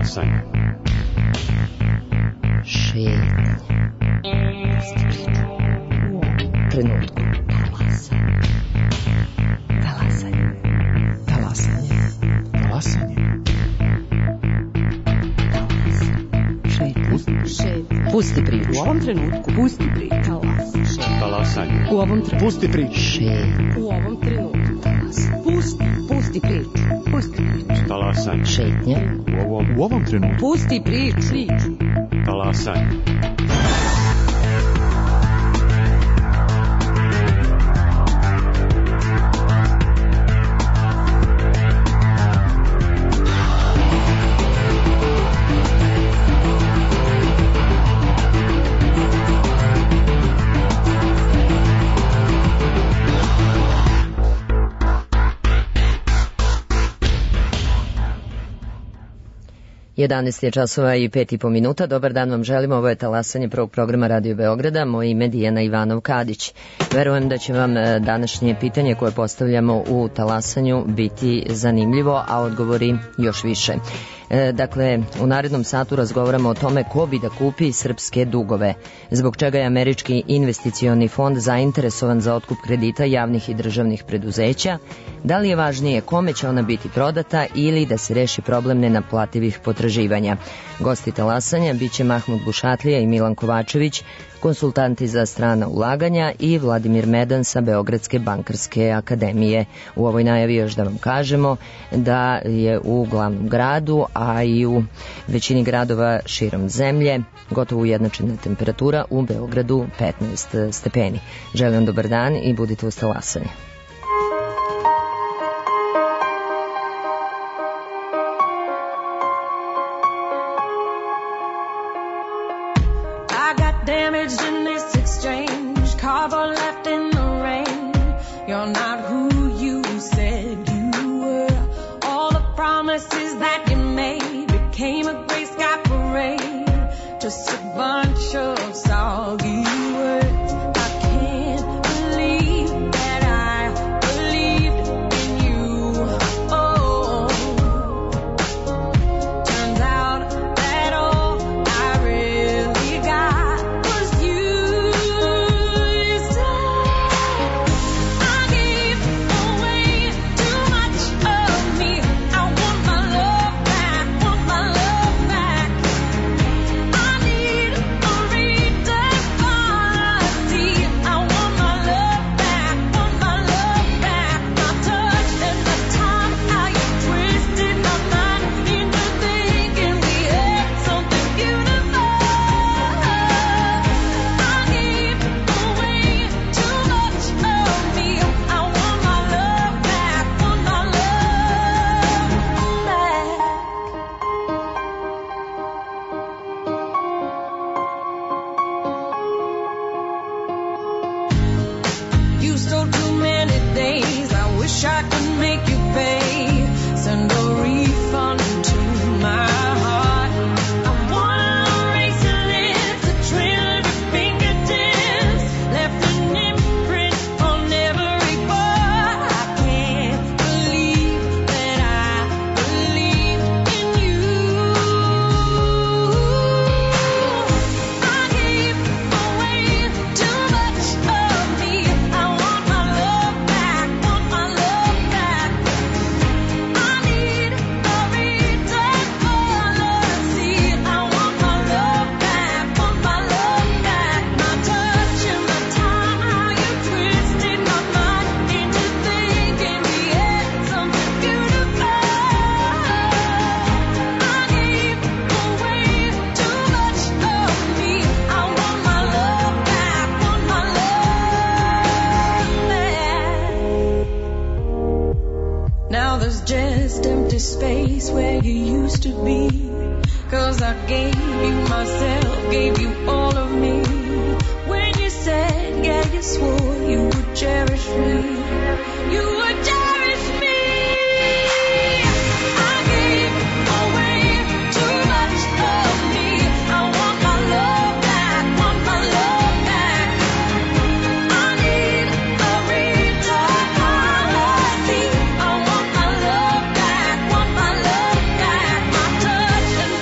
Talasanje. Šetnje. Trenutku. Talasanje. Talasanje. Talasanje. Šetnje. Pusti priču. U ovom trenutku. Pusti priču. Talasanje. U ovom trenutku. Pusti priču. Šetnje. U ovom trenutku. Pusti priču. Pusti priču. Talasanje. Šetnje. U ovom trenutku. Pusti priču. Talasanje. Jedanaest je časova i 5,5 minuta. Dobar dan vam želimo. Ovo je Talasanje prvog programa Radio Beograda. Moje ime je Dijana Ivanov-Kadić. Verujem da će vam današnje pitanje koje postavljamo u Talasanju biti zanimljivo, a odgovori još više. Dakle, u narednom satu razgovaramo o tome ko bi da kupi srpske dugove, zbog čega je Američki investicioni fond zainteresovan za otkup kredita javnih i državnih preduzeća, da li je važnije kome će ona biti prodata ili da se reši problem nenaplativih potraživanja. Gosti Talasanja biće Mahmud Bušatlija i Milan Kovačević, konsultanti za strana ulaganja, i Vladimir Medan sa Beogradske bankarske akademije. U ovoj najavi još da vam kažemo da je u glavnom gradu, a i u većini gradova širom zemlje gotovo ujednačena temperatura, u Beogradu 15 stepeni. Želim vam dobar dan i budite uz Talasanje. Damaged in this exchange, carbon left in the rain. You're not who you said you were. All the promises that you made became a gray sky parade, just a bunch of soggy words. I can't believe that I believed in you. Oh, turns out that all I really got. Space where you used to be, 'cause I gave you myself, gave you all of me. When you said, yeah, you swore you would cherish me, you would cherish me. I gave away too much of me. I want my love back, want my love back. I need a return policy. I want my love back, want my love back. My touch and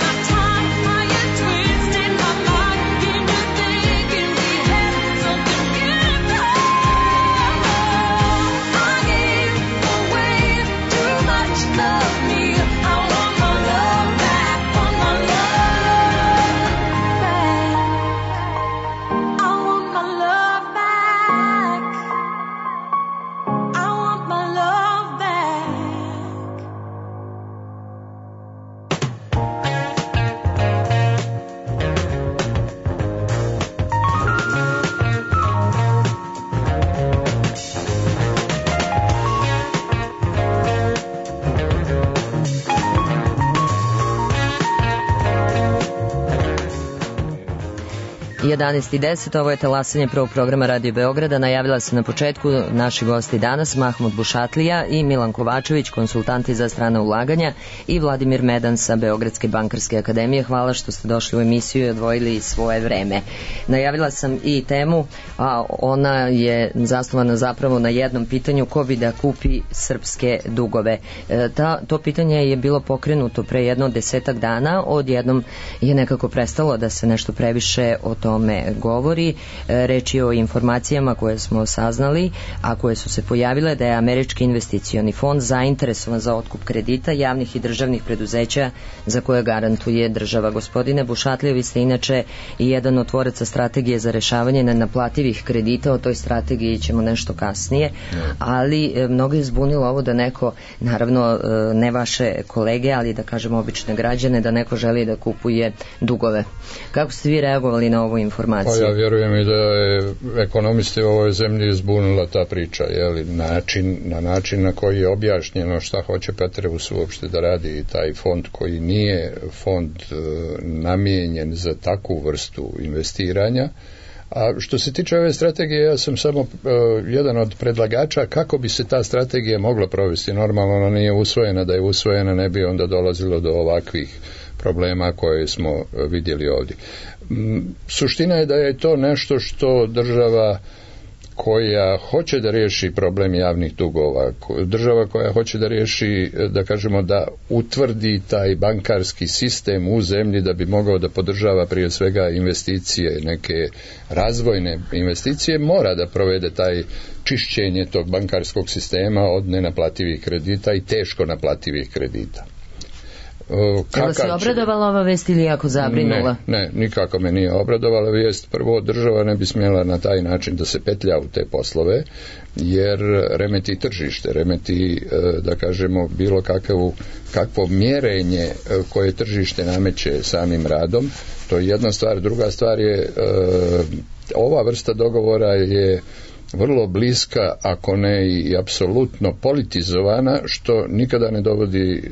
11:10, ovo je talasanje prvog programa Radio Beograda. Najavila se na početku naši gosti danas, Mahmud Bušatlija i Milan Kovačević, konsultanti za strana ulaganja, i Vladimir Medan sa Beogradske bankarske akademije. Hvala što ste došli u emisiju i odvojili svoje vreme. Najavila sam i temu, a ona je zasnovana zapravo na jednom pitanju: ko bi da kupi srpske dugove. To pitanje je bilo pokrenuto pre jedno 10 dana, odjednom je nekako prestalo da se nešto previše o tome govori. Reč je o informacijama koje smo saznali, a koje su se pojavile, da je Američki investicioni fond zainteresovan za otkup kredita javnih i državnih preduzeća za koje garantuje država. Gospodine Bušatlija, vi ste inače i jedan od tvoraca strategije za rešavanje nenaplativih kredita. O toj strategiji ćemo nešto kasnije, ali mnogo je zbunilo ovo da neko, naravno ne vaše kolege, ali da kažemo obične građane, da neko želi da kupuje dugove. Kako ste vi reagovali na ovu informaciju? Pa ja vjerujem i da je ekonomisti u ovoj zemlji zbunila ta priča, na način na koji je objašnjeno šta hoće Petreus uopšte da radi taj fond, koji nije fond namijenjen za takvu vrstu investiranja. A što se tiče ove strategije, ja sam samo jedan od predlagača kako bi se ta strategija mogla provesti. Normalno ona nije usvojena, da je usvojena ne bi onda dolazilo do ovakvih problema koje smo vidjeli ovdje. Suština je da je to nešto što država koja hoće da riješi problem javnih dugova, država koja hoće da riješi, da kažemo, da utvrdi taj bankarski sistem u zemlji da bi mogao da podržava prije svega investicije, neke razvojne investicije, mora da provede taj čišćenje tog bankarskog sistema od nenaplativih kredita i teško naplativih kredita. Je li se obradovala ova vest ili jako zabrinula? Ne, nikako me nije obradovala vijest. Prvo, država ne bi smjela na taj način da se petlja u te poslove, jer remeti tržište, remeti, da kažemo, bilo kakvo mjerenje koje tržište nameće samim radom. To je jedna stvar. Druga stvar je, ova vrsta dogovora je vrlo bliska, ako ne i apsolutno politizovana, što nikada ne dovodi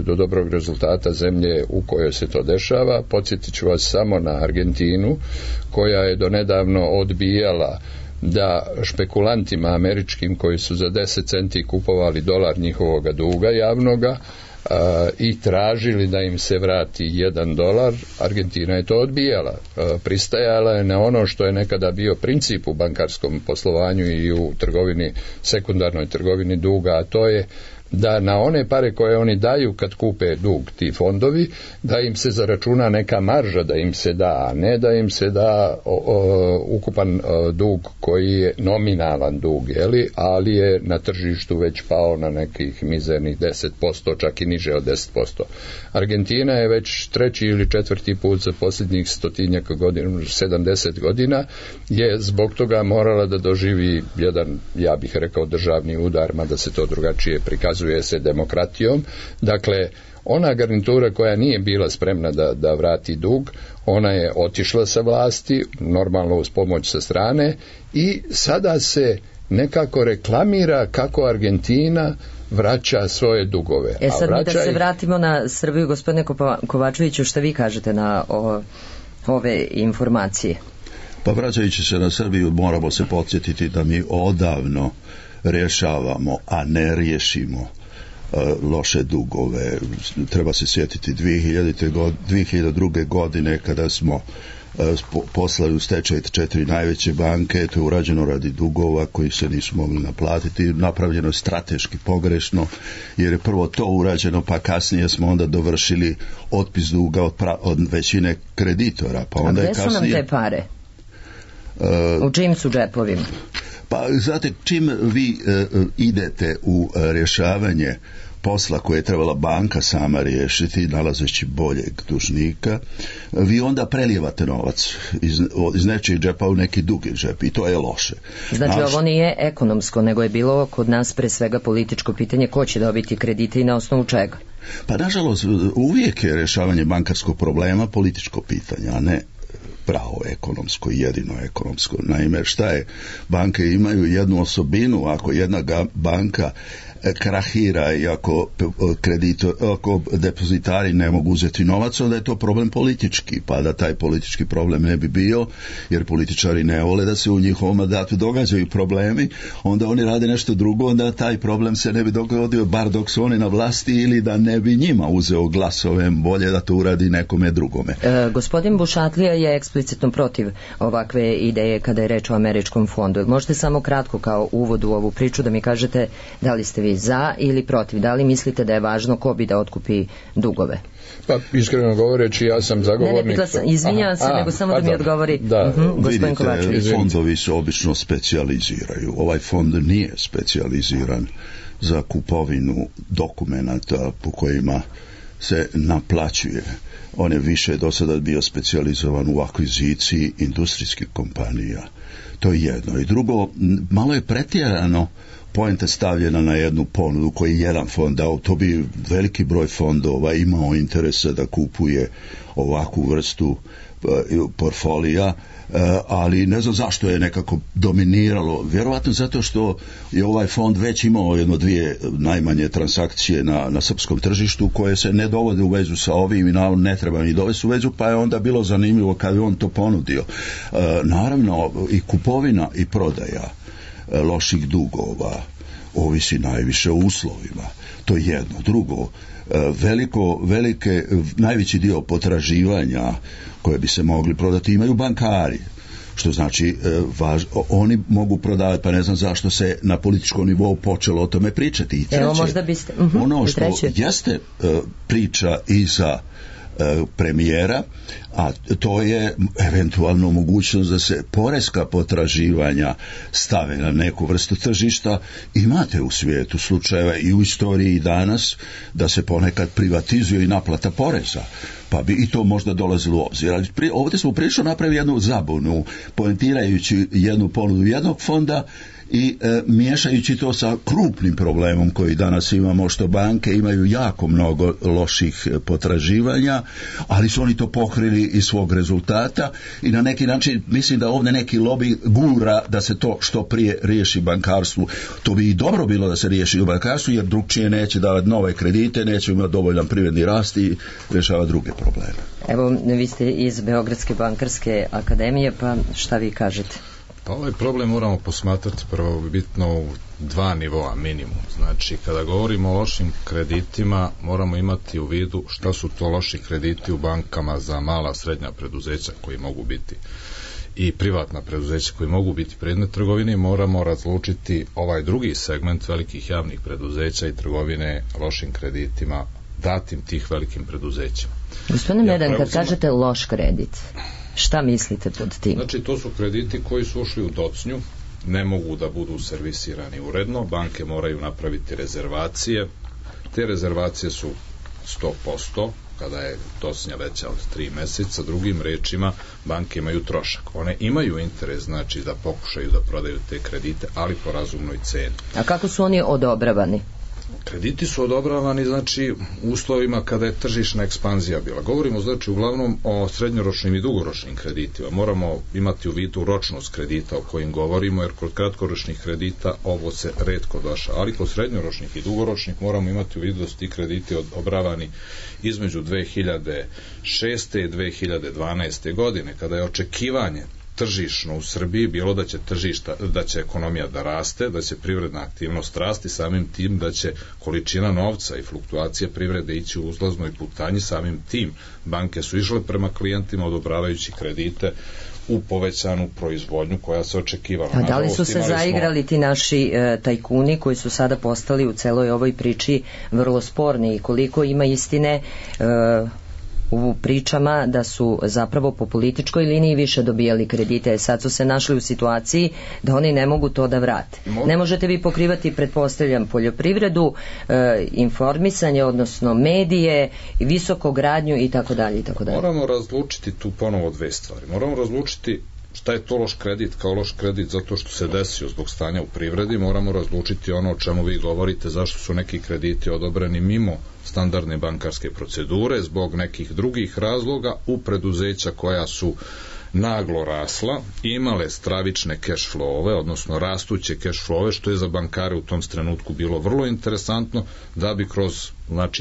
do dobrog rezultata zemlje u kojoj se to dešava. Podsjetit ću vas samo na Argentinu, koja je donedavno odbijala da špekulantima američkim koji su za 10 centi kupovali dolar njihovoga duga javnoga i tražili da im se vrati $1, Argentina je to odbijala. Pristajala je na ono što je nekada bio princip u bankarskom poslovanju i u trgovini, sekundarnoj trgovini duga, a to je da na one pare koje oni daju kad kupe dug, ti fondovi, da im se zaračuna neka marža, da im se da, a ne da im se da ukupan dug koji je nominalan dug, ali je na tržištu već pao na nekih mizernih 10%, čak i niže od 10%. Argentina je već 3. ili 4. put za posljednjih 100 godina, 70 godina, je zbog toga morala da doživi jedan, ja bih rekao, državni udar, mada se to drugačije prikazuje se demokratijom. Dakle, ona garnitura koja nije bila spremna da vrati dug, ona je otišla sa vlasti, normalno uz pomoć sa strane, i sada se nekako reklamira kako Argentina vraća svoje dugove. Sad mi da se vratimo na Srbiju, gospodine Kovačeviću, što vi kažete na ove informacije? Pa vraćajući se na Srbiju, moramo se podsjetiti da mi odavno rješavamo, a ne riješimo loše dugove. Treba se sjetiti 2002. godine kada smo poslali u stečaj 4 najveće banke. To je urađeno radi dugova koji se nisu mogli naplatiti. Napravljeno je strateški pogrešno, jer je prvo to urađeno, pa kasnije smo onda dovršili otpis duga od većine kreditora. Pa onda a gdje su nam te pare? U čijim su džepovima? Pa znate, čim vi idete u rješavanje posla koje je trebala banka sama riješiti, nalazeći boljeg dužnika, vi onda prelijevate novac iz nečijeg džepa u neki drugi džep, i to je loše. Znači, ovo nije ekonomsko, nego je bilo kod nas pre svega političko pitanje ko će dobiti kredite i na osnovu čega? Pa nažalost, uvijek je rješavanje bankarskog problema političko pitanje, a ne pravo ekonomsko, jedino ekonomsko. Naime, šta je? Banke imaju jednu osobinu. Ako jedna banka krahira i ako depozitari ne mogu uzeti novac, onda je to problem politički, pa da taj politički problem ne bi bio, jer političari ne vole da se u njihovom mandatu događaju problemi, onda oni rade nešto drugo, onda taj problem se ne bi dogodio, bar dok su oni na vlasti, ili da ne bi njima uzeo glasove, bolje da to uradi nekome drugome. Gospodin Bušatlija je eksplicitno protiv ovakve ideje kada je reč o američkom fondu. Možete samo kratko kao uvod u ovu priču da mi kažete da li ste vi za ili protiv, da li mislite da je važno ko bi da otkupi dugove? Pa, iskreno govoreći, ja sam zagovornik... Izvinjavam se, nego samo da mi odgovori gospodin Kovačević. Vidite, fondovi se obično specijaliziraju. Ovaj fond nije specijaliziran za kupovinu dokumenata po kojima se naplaćuje. On je više do sada bio specijalizovan u akviziciji industrijskih kompanija. To je jedno. I drugo, malo je pretjerano poenta stavljena na jednu ponudu koji je jedan fond dao. To bi veliki broj fondova imao interesa da kupuje ovakvu vrstu portfolija, ali ne znam zašto je nekako dominiralo. Vjerovatno zato što je ovaj fond već imao dvije najmanje transakcije na srpskom tržištu koje se ne dovode u vezu sa ovim i ne treba ni dovesti u vezu, pa je onda bilo zanimljivo kad je on to ponudio. Naravno, i kupovina i prodaja loših dugova ovisi najviše o uslovima. To je jedno. Drugo, najveći dio potraživanja koje bi se mogli prodati imaju bankari, što znači oni mogu prodavati, pa ne znam zašto se na političkom nivou počelo o tome pričati. I treće, možda biste, ono što jeste priča i za premijera, a to je eventualno mogućnost da se poreska potraživanja stave na neku vrstu tržišta. Imate u svijetu slučajeva i u istoriji i danas da se ponekad privatizuje i naplata poreza, pa bi i to možda dolazilo u obzir. Ali ovdje smo prilično napravili jednu zabunu, poentirajući jednu ponudu jednog fonda i miješajući to sa krupnim problemom koji danas imamo, što banke imaju jako mnogo loših potraživanja, ali su oni to pokrili iz svog rezultata i na neki način mislim da ovdje neki lobby gura da se to što prije riješi bankarstvu. To bi i dobro bilo da se riješi u bankarstvu, jer drugčije neće davati nove kredite, neće imati dovoljan privredni rast i rješava druge probleme. Evo, vi ste iz Beogradske bankarske akademije, pa šta vi kažete? Pa ovaj problem moramo posmatrati prvobitno u dva nivoa minimum. Znači, kada govorimo o lošim kreditima, moramo imati u vidu šta su to loši krediti u bankama za mala, srednja preduzeća koji mogu biti i privatna preduzeća koji mogu biti predmet trgovine. Moramo razlučiti ovaj drugi segment velikih javnih preduzeća i trgovine lošim kreditima datim tih velikim preduzećima. Gospodine Medan, kad kažete loš kredit, šta mislite pod tim? Znači, to su krediti koji su ušli u docnju, ne mogu da budu servisirani uredno, banke moraju napraviti rezervacije, te rezervacije su 100%, kada je docnja veća od 3 mjeseca, drugim rečima, banke imaju trošak. One imaju interes, znači, da pokušaju da prodaju te kredite, ali po razumnoj ceni. A kako su oni odobravani? Krediti su odobravani, znači, u uslovima kada je tržišna ekspanzija bila. Govorimo, znači, uglavnom o srednjoročnim i dugoročnim kreditima. Moramo imati u vidu ročnost kredita o kojim govorimo, jer kod kratkoročnih kredita ovo se retko daša, ali kod srednjoročnih i dugoročnih moramo imati u vidu da su ti krediti odobravani između 2006. i 2012. godine, kada je očekivanje tržišno u Srbiji bilo da će ekonomija da raste, da će privredna aktivnost rasti, samim tim da će količina novca i fluktuacija privrede ići u uzlaznoj putanji, samim tim banke su išle prema klijentima odobravajući kredite u povećanu proizvodnju koja se očekivala. A da li su se zaigrali ti naši tajkuni koji su sada postali u celoj ovoj priči vrlo sporni i koliko ima istine u pričama da su zapravo po političkoj liniji više dobijali kredite, sad su se našli u situaciji da oni ne mogu to da vrate. Ne možete vi pokrivati, pretpostavljam, poljoprivredu, informisanje, odnosno medije, visokogradnju i tako dalje. Moramo razlučiti tu ponovo dve stvari. Moramo razlučiti šta je to loš kredit kao loš kredit zato što se desio zbog stanja u privredi. Moramo razlučiti ono o čemu vi govorite, zašto su neki krediti odobreni mimo standardne bankarske procedure, zbog nekih drugih razloga u preduzeća koja su naglo rasla, imale stravične cash flowove, odnosno rastuće cash flowove, što je za bankare u tom trenutku bilo vrlo interesantno, da bi kroz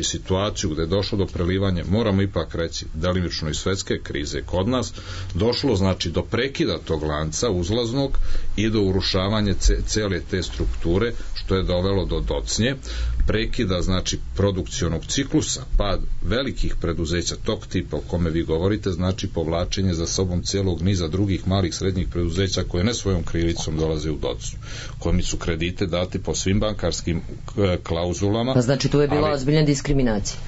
situaciju gde je došlo do prelivanja, moramo ipak reći, delimično i svetske krize kod nas, došlo do prekida tog lanca uzlaznog i do urušavanja cele te strukture, što je dovelo do docnje, prekida produkcionog ciklusa, pad velikih preduzeća tog tipa o kome vi govorite, povlačenje za sobom celog niza drugih malih srednjih preduzeća koje ne svojom krivicom dolaze u docnju, kojim su kredite dati po svim bankarskim klauzulama. Pa tu je bila ozbiljna diskriminacija.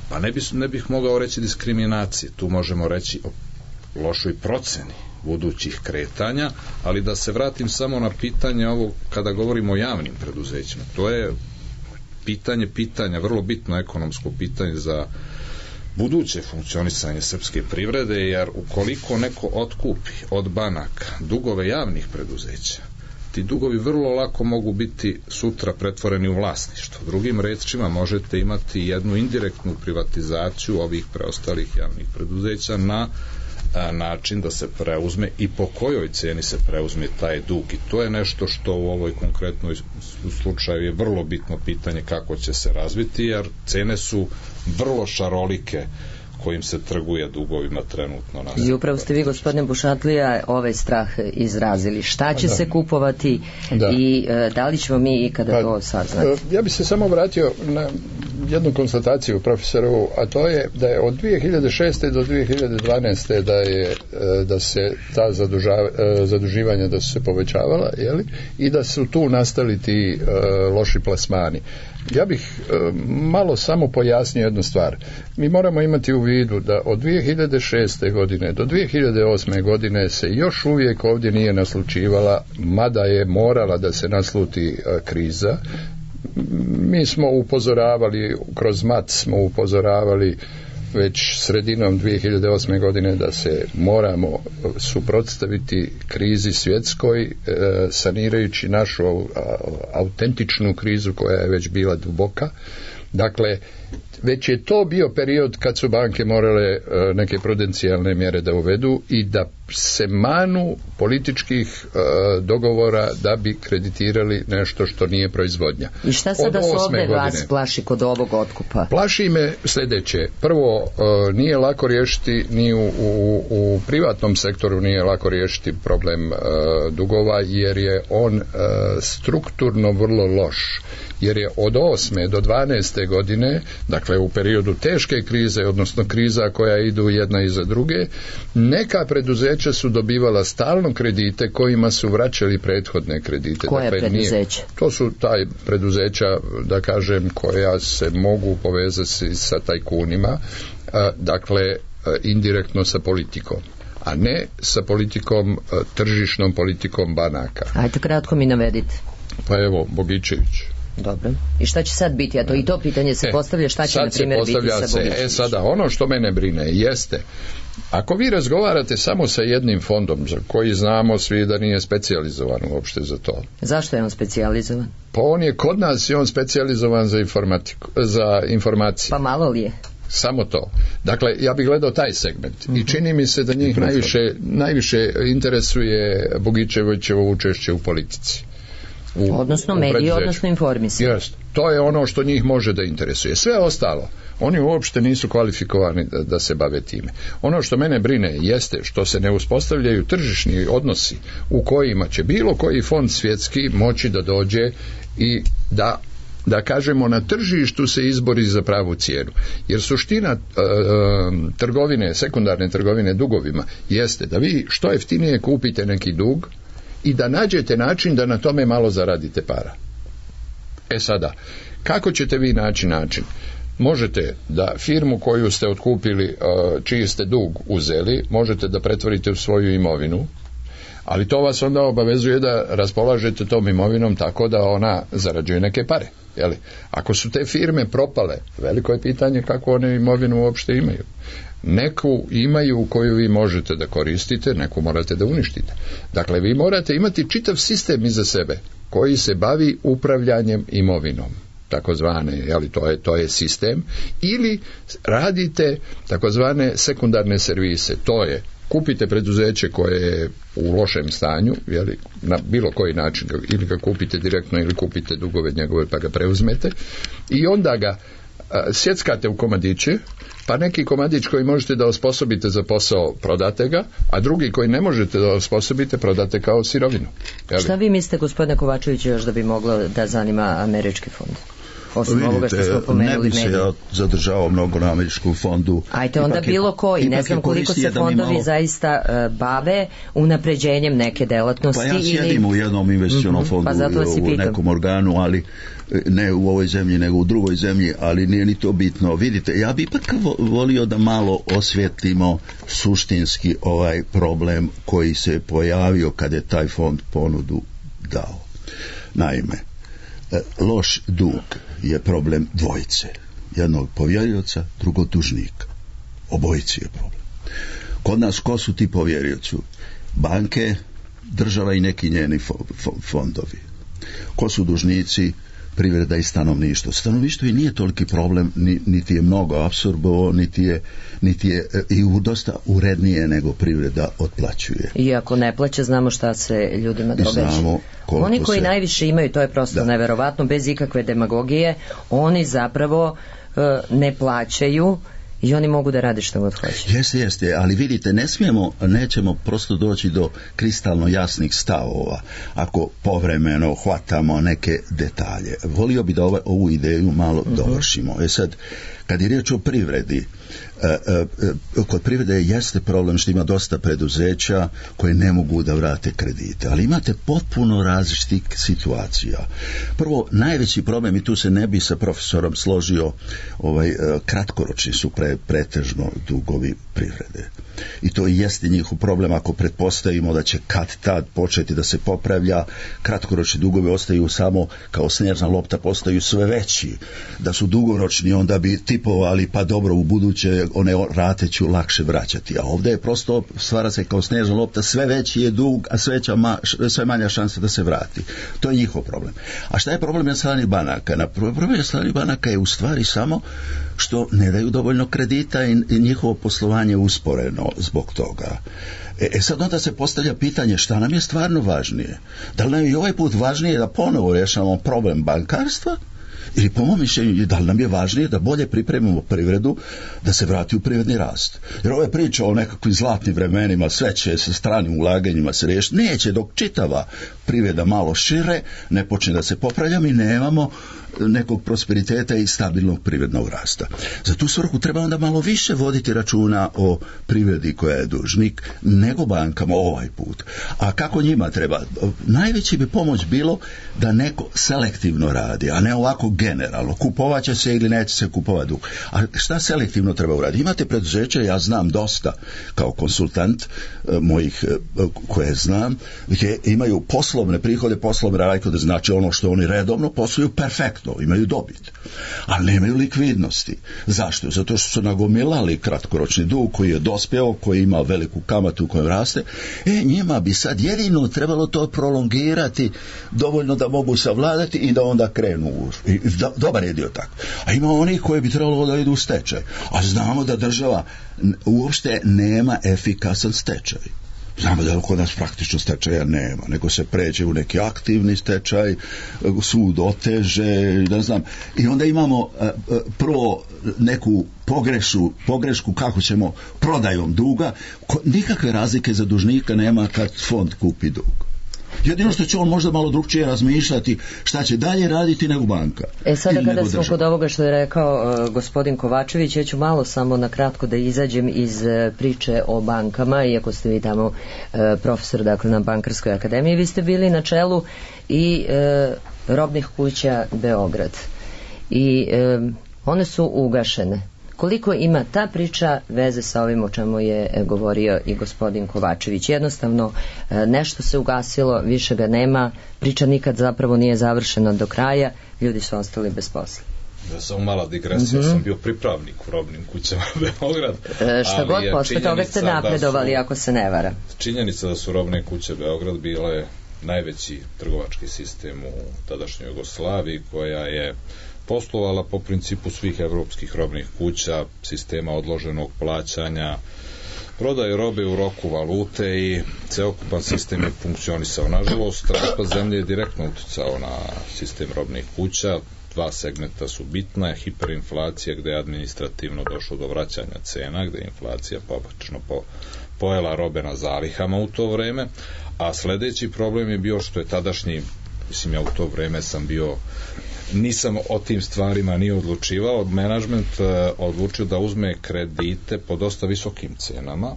Pa ne bih mogao reći diskriminacije, tu možemo reći o lošoj proceni budućih kretanja, ali da se vratim samo na pitanje ovo kada govorimo o javnim preduzećima. To je pitanja, vrlo bitno ekonomsko pitanje za buduće funkcionisanje srpske privrede, jer ukoliko neko otkupi od banaka dugove javnih preduzeća, ti dugovi vrlo lako mogu biti sutra pretvoreni u vlasništvo. Drugim rečima, možete imati jednu indirektnu privatizaciju ovih preostalih javnih preduzeća na način da se preuzme i po kojoj ceni se preuzme taj dug, i to je nešto što u ovoj konkretnoj slučaju je vrlo bitno pitanje kako će se razviti, jer cene su vrlo šarolike kojim se trguje dugovima trenutno. I upravo ste vi, gospodine Bušatlija, ovaj strah izrazili. Šta će se kupovati i da li ćemo mi ikada to saznati? Ja bih se samo vratio na jednu konstataciju profesorovu, a to je da je od 2006. do 2012. da se ta zaduživanja da su se povećavala, i da su tu nastali ti loši plasmani. Ja bih malo samo pojasnio jednu stvar. Mi moramo imati u vidu da od 2006. godine do 2008. godine se još uvijek ovdje nije naslučivala, mada je morala da se nasluti kriza. Mi smo upozoravali, kroz MAT smo upozoravali već sredinom 2008. godine da se moramo suprotstaviti krizi svjetskoj, sanirajući našu autentičnu krizu koja je već bila duboka. Dakle, već je to bio period kad su banke morale neke prudencijalne mjere da uvedu i da se manu političkih dogovora da bi kreditirali nešto što nije proizvodnja. I šta sada se ovdje vas plaši kod ovog otkupa? Plaši me sljedeće. Prvo, nije lako riješiti, ni u privatnom sektoru nije lako riješiti problem dugova, jer je on strukturno vrlo loš. Jer je od 8. do 12. godine, dakle u periodu teške krize, odnosno kriza koja idu jedna iza druge, neka preduzeća su dobivala stalno kredite kojima su vraćali prethodne kredite. Koje preduzeća? To su taj preduzeća, da kažem, koja se mogu povezati sa tajkunima, dakle indirektno sa politikom, a ne sa politikom, tržišnom politikom banaka. Ajde, kratko mi navedite. Pa evo, Bogičević. Dobro. I šta će sad biti? A to i to pitanje se postavlja, šta će na primjer biti sa Bogičevićem? Sada, ono što mene brine jeste, ako vi razgovarate samo sa jednim fondom, za koji znamo svi da nije specijalizovan uopšte za to. Zašto je on specijalizovan? Pa on je kod nas i on specijalizovan za informacije. Pa malo li je? Samo to. Dakle, ja bih gledao taj segment i čini mi se da njih najviše interesuje Bogičevićevo učešće u politici. Odnosno mediji, odnosno informisanje. Jest. To je ono što njih može da interesuje. Sve ostalo, oni uopšte nisu kvalifikovani da se bave time. Ono što mene brine jeste što se ne uspostavljaju tržišni odnosi u kojima će bilo koji fond svjetski moći da dođe i da kažemo na tržištu se izbori za pravu cijenu. Jer suština trgovine, sekundarne trgovine dugovima jeste da vi što jeftinije kupite neki dug i da nađete način da na tome malo zaradite para. Sada, kako ćete vi naći način? Možete da firmu koju ste otkupili, čiji ste dug uzeli, možete da pretvorite u svoju imovinu, ali to vas onda obavezuje da raspolažete tom imovinom tako da ona zarađuje neke pare. Ako su te firme propale, veliko je pitanje kako one imovinu uopšte imaju. Neku imaju koju vi možete da koristite, neku morate da uništite. Dakle, vi morate imati čitav sistem iza sebe koji se bavi upravljanjem imovinom, takozvane, to je sistem, ili radite takozvane sekundarne servise, to je kupite preduzeće koje je u lošem stanju, jeli, na bilo koji način, ili ga kupite direktno ili kupite dugove njegove pa ga preuzmete i onda ga sjeckate u komadiće, pa neki komadić koji možete da osposobite za posao prodate ga, a drugi koji ne možete da osposobite prodate kao sirovinu. Jeli? Šta vi mislite, gospodine Kovačeviću, još da bi moglo da zanima američki fond? Osim ovoga što smo pomenuli medije. Ne bi se ja zadržavao mnogo na američkom fondu. Ajte onda bilo koji, ne znam koliko se fondovi zaista bave unapređenjem neke delatnosti. Pa ja sjedim u jednom investicionom fondu, u nekom organu, ali ne u ovoj zemlji, nego u drugoj zemlji, ali nije ni to bitno. Vidite, ja bi ipak volio da malo osvjetlimo suštinski ovaj problem koji se pojavio kad je taj fond ponudu dao. Naime, loš dug je problem dvojice. Jednog povjerioca, drugog dužnika. Obojici je problem. Kod nas ko su ti povjerioci? Banke, država i neki njeni fondovi. Ko su dužnici? Privreda i stanovništvo. Stanovništvo i nije toliki problem, niti je mnogo apsorbovo, niti je i dosta urednije nego privreda otplaćuje. I ako ne plaća, znamo šta se ljudima događa. Oni koji najviše imaju, to je prosto neverovatno, bez ikakve demagogije, oni zapravo ne plaćaju i oni mogu da rade što god hoće. Jeste, ali vidite, nećemo prosto doći do kristalno jasnih stavova ako povremeno hvatamo neke detalje. Volio bi da ovu ideju malo dovršimo. Sad, kad je riječ o privredi, kod privrede jeste problem što ima dosta preduzeća koje ne mogu da vrate kredite, ali imate potpuno različitih situacija. Prvo, najveći problem, i tu se ne bi sa profesorom složio, kratkoročni su pretežno dugovi privrede. I to jeste njihov problem. Ako pretpostavimo da će kad tad početi da se popravlja, kratkoročni dugovi ostaju samo kao snježna lopta, postaju sve veći. Da su dugoročni, onda bi tipovali pa dobro, u buduće one rate ću lakše vraćati. A ovdje je prosto, stvara se kao snježna lopta, sve veći je dug, a sve manja šansa da se vrati. To je njihov problem. A šta je problem na strani banaka? Problem na strani banaka je u stvari samo što ne daju dovoljno kredita i njihovo poslovanje usporeno zbog toga. Sad onda se postavlja pitanje šta nam je stvarno važnije. Da li nam je i ovaj put važnije da ponovo rješavamo problem bankarstva, ili po mom mišljenju da li nam je važnije da bolje pripremimo privredu da se vrati u privredni rast. Jer ova priča o nekakvim zlatnim vremenima, sve će sa stranim ulaganjima se riješiti, neće dok čitava privreda malo šire ne počne da se popravlja, mi nemamo nekog prosperiteta i stabilnog privrednog rasta. Za tu svrhu treba onda malo više voditi računa o privredi koja je dužnik nego bankama ovaj put. A kako njima treba? Najveći bi pomoć bilo da neko selektivno radi, a ne ovako generalno. Kupovat će se ili neće se kupovati dug. A šta selektivno treba uraditi? Imate preduzeće, ja znam dosta kao konsultant mojih koje znam, gdje imaju poslovne prihode, poslovne rashode, znači ono što oni redovno posluju perfektno, imaju dobit, ali nemaju likvidnosti. Zašto? Zato što su nagomilali kratkoročni dug koji je dospjeo, koji ima veliku kamatu koju raste. Njima bi sad jedino trebalo to prolongirati dovoljno da mogu savladati i da onda krenu dobar je dio tako. A ima onih koji bi trebalo da idu u stečaj. A znamo da država uopšte nema efikasan stečaj. Znamo da kod nas praktično stečaja nema, nego se pređe u neki aktivni stečaj, sud oteže, ne znam. I onda imamo prvo neku pogrešku kako ćemo prodajom duga, nikakve razlike za dužnika nema kad fond kupi dug. Jedino što će on možda malo drugčije razmišljati šta će dalje raditi nego banka. Sada kada smo kod ovoga što je rekao gospodin Kovačević, ja ću malo samo na kratko da izađem iz priče o bankama, iako ste vi tamo profesor, dakle, na Bankarskoj akademiji, vi ste bili na čelu i robnih kuća Beograd. I one su ugašene. Koliko ima ta priča veze sa ovim o čemu je govorio i gospodin Kovačević? Jednostavno, nešto se ugasilo, više ga nema, priča nikad zapravo nije završena do kraja, ljudi su ostali bez posla. Da, samo mala digresija, sam bio pripravnik u robnim kućama Beograd. Šta god posle toga ste napredovali, ako se ne varam. Činjenica da su robne kuće Beograd bile najveći trgovački sistem u tadašnjoj Jugoslaviji, koja je poslovala po principu svih evropskih robnih kuća, sistema odloženog plaćanja, prodaje robe u roku valute i celokupan sistem je funkcionisao. Nažalost, raspad zemlje je direktno uticao na sistem robnih kuća. Dva segmenta su bitna, hiperinflacija gde je administrativno došlo do vraćanja cena, gde je inflacija pobačno pojela robe na zalihama u to vreme, a sledeći problem je bio što je tadašnji, mislim ja u to vreme nisam o tim stvarima ni odlučivao, menadžment odlučio da uzme kredite po dosta visokim cenama,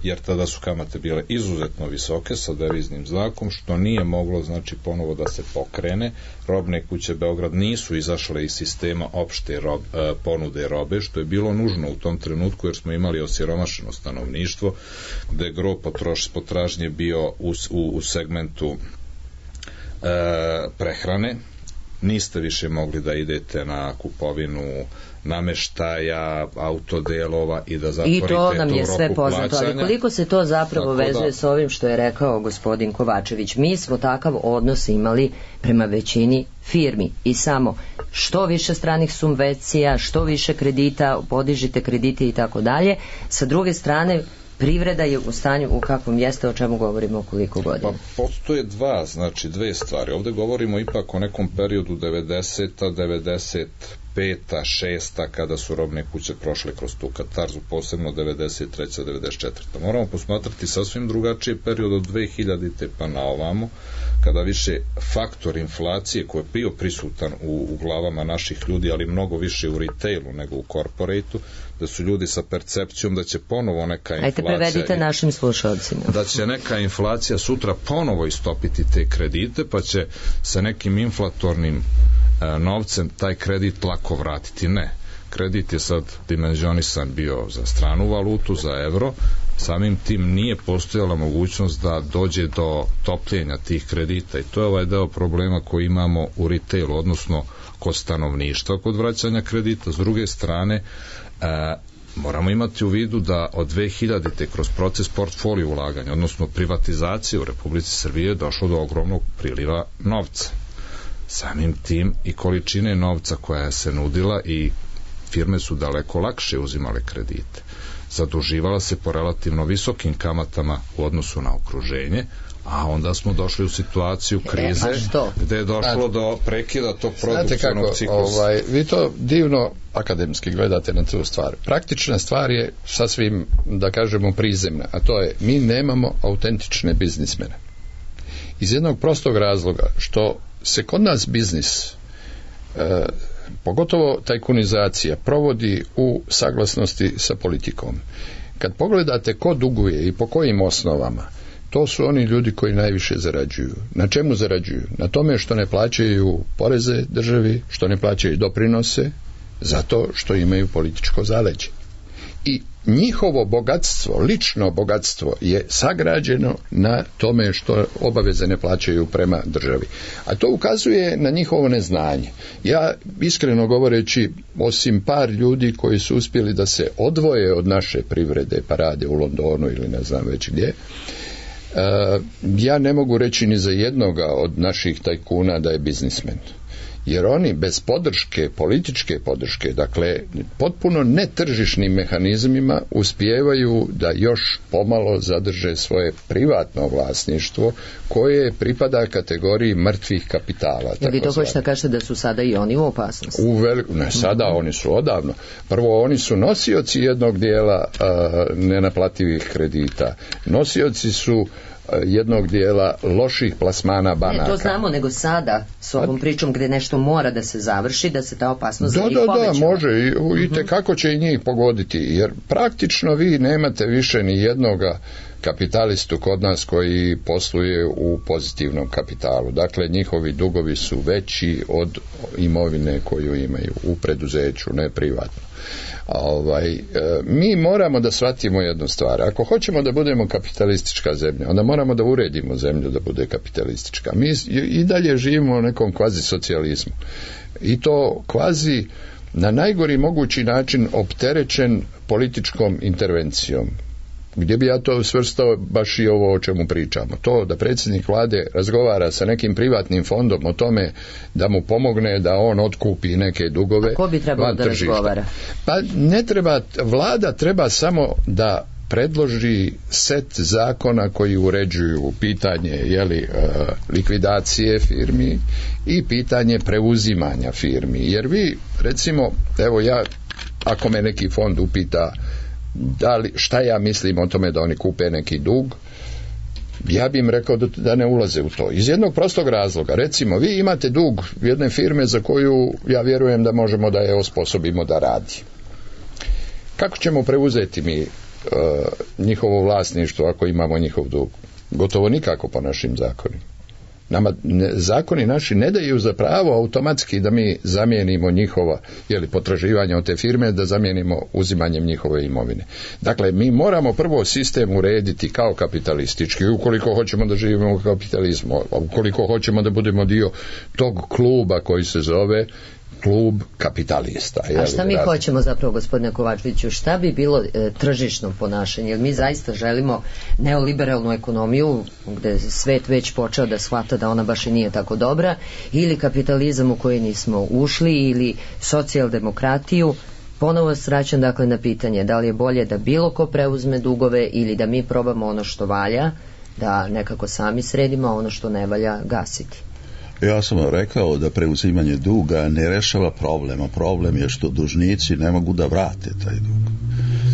jer tada su kamate bile izuzetno visoke sa deviznim znakom, što nije moglo znači ponovo da se pokrene. Robne kuće Beograd nisu izašle iz sistema opšte ponude robe, što je bilo nužno u tom trenutku, jer smo imali osiromašeno stanovništvo, gde je gro potražnje bio u segmentu prehrane. Niste više mogli da idete na kupovinu nameštaja, autodelova i da zatvorite to u roku plaćanja. I to nam je sve poznato, ali koliko se to zapravo vezuje s ovim što je rekao gospodin Kovačević. Mi smo takav odnos imali prema većini firmi i samo što više stranih subvencija, što više kredita, podižite kredite i tako dalje. Sa druge strane, privreda je u stanju u kakvom jeste, o čemu govorimo koliko godina. Pa postoje dve stvari. Ovde govorimo ipak o nekom periodu 90-a, 95-a, 6-a, kada su robne kuće prošle kroz tu katarzu, posebno 93-a, 94-a. Moramo posmatrati sasvim drugačiji period od 2000-te pa na ovamo, kada više faktor inflacije koji je bio prisutan u glavama naših ljudi, ali mnogo više u retailu nego u korporatu, da su ljudi sa percepcijom da će ponovo neka inflacija... Ajde, prevedite našim slušalcima. Da će neka inflacija sutra ponovo istopiti te kredite, pa će sa nekim inflatornim novcem taj kredit lako vratiti. Ne. Kredit je sad dimenzionisan bio za stranu valutu, za evro, samim tim nije postojala mogućnost da dođe do topljenja tih kredita i to je ovaj deo problema koji imamo u retailu, odnosno kod stanovništva kod vraćanja kredita. S druge strane, moramo imati u vidu da od 2000-te kroz proces portfolio ulaganja, odnosno privatizacije u Republici Srbije je došlo do ogromnog priliva novca. Samim tim i količine novca koja se nudila i firme su daleko lakše uzimale kredite. Zaduživala se po relativno visokim kamatama u odnosu na okruženje, a onda smo došli u situaciju krize gde je došlo do prekida tog produkcionog ciklusa. Vi to divno akademski gledate na tu stvar. Praktična stvar je sasvim, da kažemo, prizemna, a to je mi nemamo autentične biznismene. Iz jednog prostog razloga što se kod nas biznis, pogotovo tajkunizacija, provodi u saglasnosti sa politikom. Kad pogledate ko duguje i po kojim osnovama, to su oni ljudi koji najviše zarađuju. Na čemu zarađuju? Na tome što ne plaćaju poreze državi, što ne plaćaju doprinose, zato što imaju političko zaleđe. I njihovo bogatstvo, lično bogatstvo je sagrađeno na tome što obaveze ne plaćaju prema državi. A to ukazuje na njihovo neznanje. Ja, iskreno govoreći, osim par ljudi koji su uspjeli da se odvoje od naše privrede, pa rade u Londonu ili ne znam već gdje, ja ne mogu reći ni za jednoga od naših tajkuna da je biznismen. Jer oni bez podrške, političke podrške, dakle potpuno netržišnim mehanizmima uspijevaju da još pomalo zadrže svoje privatno vlasništvo koje pripada kategoriji mrtvih kapitala. Jer vi to hoćete kažete da su sada i oni u opasnosti? Ne, sada oni su odavno. Prvo, oni su nosioci jednog dijela nenaplativih kredita. Nosioci su jednog dijela loših plasmana banaka. Ne, to znamo, nego sada s ovom pričom gde nešto mora da se završi, da se ta opasnost za njih povećava. Da, može i tekako će i njih pogoditi, jer praktično vi nemate više ni jednoga kapitalistu kod nas koji posluje u pozitivnom kapitalu. Dakle, njihovi dugovi su veći od imovine koju imaju u preduzeću, ne privatno. Mi moramo da shvatimo jednu stvar. Ako hoćemo da budemo kapitalistička zemlja, onda moramo da uredimo zemlju da bude kapitalistička. Mi i dalje živimo u nekom kvazi socijalizmu. I to kvazi na najgori mogući način opterećen političkom intervencijom. Gdje bi ja to svrstao baš i ovo o čemu pričamo. To da predsjednik vlade razgovara sa nekim privatnim fondom o tome da mu pomogne da on otkupi neke dugove. Ko bi trebao da razgovara? Pa ne treba, vlada treba samo da predloži set zakona koji uređuju pitanje likvidacije firmi i pitanje preuzimanja firmi. Jer vi, recimo, evo ja, ako me neki fond upita šta ja mislim o tome da oni kupe neki dug, ja bi im rekao da ne ulaze u to. Iz jednog prostog razloga. Recimo, vi imate dug jedne firme za koju ja vjerujem da možemo da je osposobimo da radi. Kako ćemo preuzeti mi njihovo vlasništvo ako imamo njihov dug? Gotovo nikako po našim zakonima. Nama zakoni naši ne daju za pravo automatski da mi zamijenimo njihova potraživanja od te firme, da zamijenimo uzimanjem njihove imovine. Dakle, mi moramo prvo sistem urediti kao kapitalistički, ukoliko hoćemo da živimo u kapitalizmu, ukoliko hoćemo da budemo dio tog kluba koji se zove klub kapitalista. A šta mi hoćemo zapravo, gospodine Kovačeviću, šta bi bilo tržišno ponašanje? Jer mi zaista želimo neoliberalnu ekonomiju gde svet već počeo da shvata da ona baš i nije tako dobra, ili kapitalizam u koji nismo ušli, ili socijaldemokratiju. Ponovo vraćam dakle na pitanje da li je bolje da bilo ko preuzme dugove ili da mi probamo ono što valja, da nekako sami sredimo, a ono što ne valja gasiti. Ja sam rekao da preuzimanje duga ne rešava problem, a problem je što dužnici ne mogu da vrate taj dug.